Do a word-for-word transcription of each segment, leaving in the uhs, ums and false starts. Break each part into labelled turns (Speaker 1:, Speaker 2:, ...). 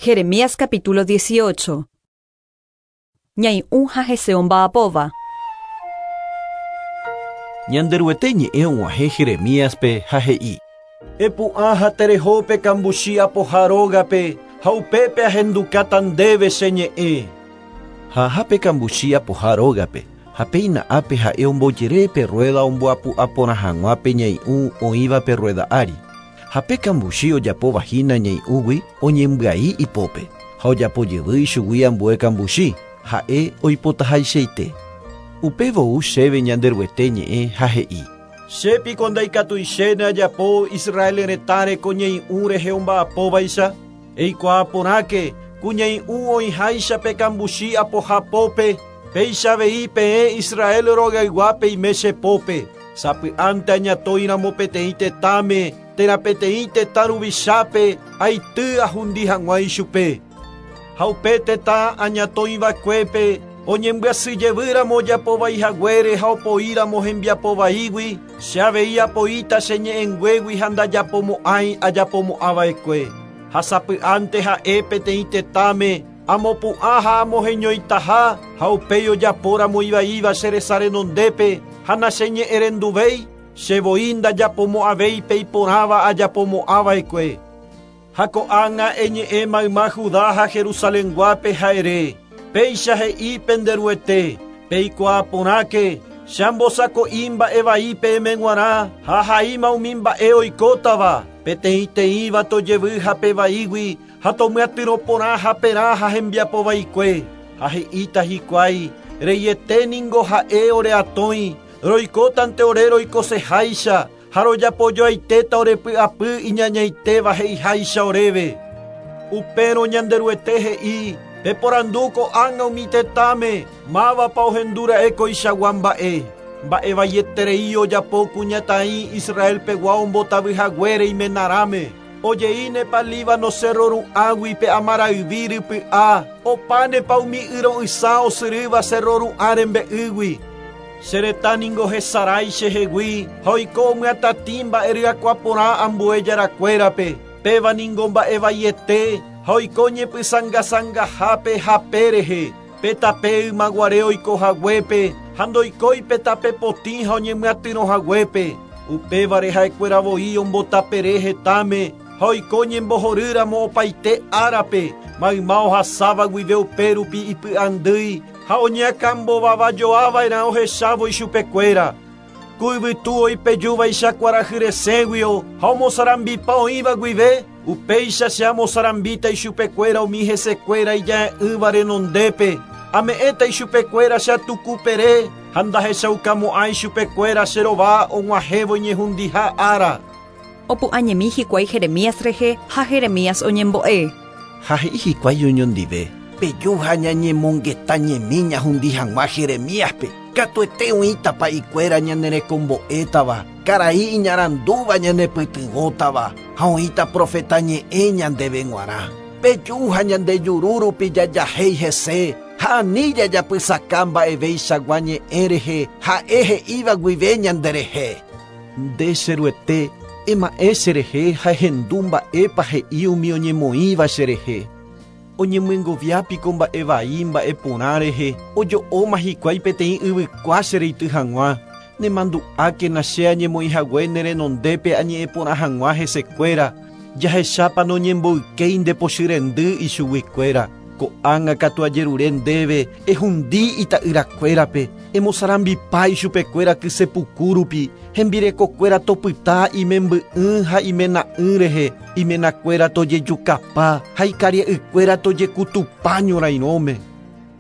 Speaker 1: Jeremías capítulo dieciocho. Ñai'ũ ha hese omba'apóva.
Speaker 2: Ñanderuete ñe'ẽ og̃uahẽ Jeremíaspe ha he'i: Epu'ã ha terehópe kambuchi apoha rógape ha upépe ahendukáta ndéve che ñe'ẽ. Ha ahápe kambuchi apoha rógape ha péina ápe ha'e ombojere pe rueda omboapu'a porã hag̃ua pe ñai'ũ oĩva pe rueda ári. Ha pe kambuchi ojapóva hína ñai'ũgui oñembyai ipópe ha ojapojevy ichugui ambue kambuchi ha'e oipotahaichaite. Upévo ou chéve Ñanderuete ñe'ẽ ha he'i: Chépiko ndaikatuichéne ajapo Israel retãre ko ñai'ũ rehe omba'apóvaicha. Eikuaa porãke ku ñai'ũ oĩháicha pe kambuchi apoha pópe, péicha avei peẽ Israel rogayguápe ime che pópe. Sapy'ánte añatõiramo peteĩ tetãme térã peteĩ tetã ruvichápe aity ahundi hag̃ua ichupe. Ha upe tetã añatõiva'ekuépe oñembyasyjevýramo ojapovaihaguére ha opoíramo hembiapovaígui, che avei apoíta che ñe'ẽnguégui ha ndajapomo'ãi ajapomo'ãva'ekue. Ha sapy'ánte ha'e peteĩ tetãme amopu'ã ha amoheñoitaha ha upéi ojapóramo ivaíva che resa renondépe ha nacheñe'ẽrenduvéi, che voi ndajapomo'ãvéi pe iporãva ajapomo'ãva'ekue. Ha ko'ág̃a eñe'ẽ mayma Judá ha Jerusalenguápe ha ere: Péicha he'i penderuete, peikuaa porãke, che ambosako'i mba'e vai peẽme g̃uarã ha haíma umi mba'e oikótava, peteĩteĩva tojevy hape vaígui ha tomyatyrõ porã haperã ha hembiapovaikue. Ha he'íta hikuái, reiete ningo ha'e oreatõi, roikótante ore roikoseháicha ha rojapojoaitéta orepy'apy iñañaitéva he'iháicha oréve. Upérõ Ñanderuete he'i: Peporandu ko'ág̃a umi tetãme, mávapa ohendúra'e koichagua mba'e. Mba'e vaieterei ojapo kuñataĩ Israelpegua ombotavyhaguére imenarãme. Ojeínepa Líbano cerro ru'ãgui pe amarayvi rypy'a, opánepa umi yro'ysã osyrýva cerro ru'ã rembe'ýgui. Che retã ningo hesarái chehegui ha oiko omyatatĩ mba'e ryakuã porã ambue jarakuérape. Péva ningo mba'e vaiete ha oiko ñepysangasangahápe hape rehe. Pe tape ymaguare oikohaguépe ha ndoikói pe tape potĩ ha oñemyatyrõhaguépe. Upévare ha'ekuéra voi ombotapere hetãme ha oiko ñembohorýramo opaite árape. Mayma ohasáva guive upérupi ipy'andýi ha oñeakãmbovavajoava'erã ohechávo ichupekuéra. Ku yvytu oipejúvaicha kuarahy resẽguio ha omosarambipa oĩva guive, upéicha che amosarambíta ichupekuéra umi hesekuéra ija'e'ỹva renondépe. Ame'ẽta ichupekuéra che atukupere ha ndahechaukamo'ã ichupekuéra che rova og̃uahẽvo iñehundiha ára.
Speaker 1: Opu'ãñemi hikuái Jeremías rehe ha Jeremías oñembo'e.
Speaker 2: Ha he'i hikuái oñondive: Peju ha ñañemongetañemi ñahundi hag̃ua Jeremíaspe. Katuete oĩtapa ikuéra ñanerekombo'étava, karai iñarandúva ñanepytyvõtava ha oĩta profeta ñe'ẽ ñandéve g̃uarã. Peju ha ñande juru rupi jajahéi hese ha ani jajapysaka mba'eveichagua ñe'ẽ rehe ha'e he'íva guive ñanderehe. Nde cheruete, ema'ẽ cherehe ha ehendu mba'épa he'i umi oñemoĩva cherehe. Oñemyengoviápiko mba'e vai mba'e porã rehe, ojo'óma hikuái peteĩ yvykua chereity hag̃ua. Nemandu'ákena che añemoĩhague ne renondépe añe'ẽ porã hag̃ua hesekuéra, jahechápa noñemboykéi nde pochy rendy ichuguikuéra. Ko'ág̃a katu ajerure ndéve ehundi ita'yrakuérape, emosarambipa ichupekuéra kysepuku rupi, hembirekokuéra topyta imemby'ỹ ha imena'ỹ rehe, imenakuéra tojejukapa ha ikaria'ykuéra tojekutupa ñorairõme.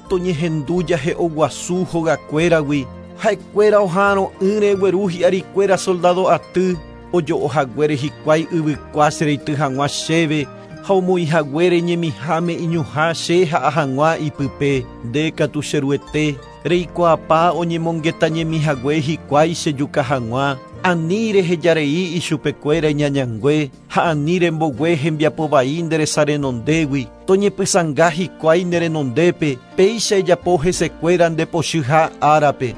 Speaker 2: Toñehendu jahe'oguasu hogakuéragui, ha'ekuéra oha'arõ'ỹre gueru hi'arikuéra soldado aty, ojo'ohaguére hikuái yvykua chereity hag̃ua chéve ha omoĩhaguére ñemiháme iñuhã che ha'a hag̃ua ipype. Nde katu cheruete, reikuaapa oñemongetañemihague hikuái chejuka hag̃ua, ani rehejarei ichupekuéra iñañangue ha ani rembogue hembiapovai nde resa renondégui, toñepysãnga hikuái ne renondépe, péicha ejapo hesekuéra nde pochyha árape.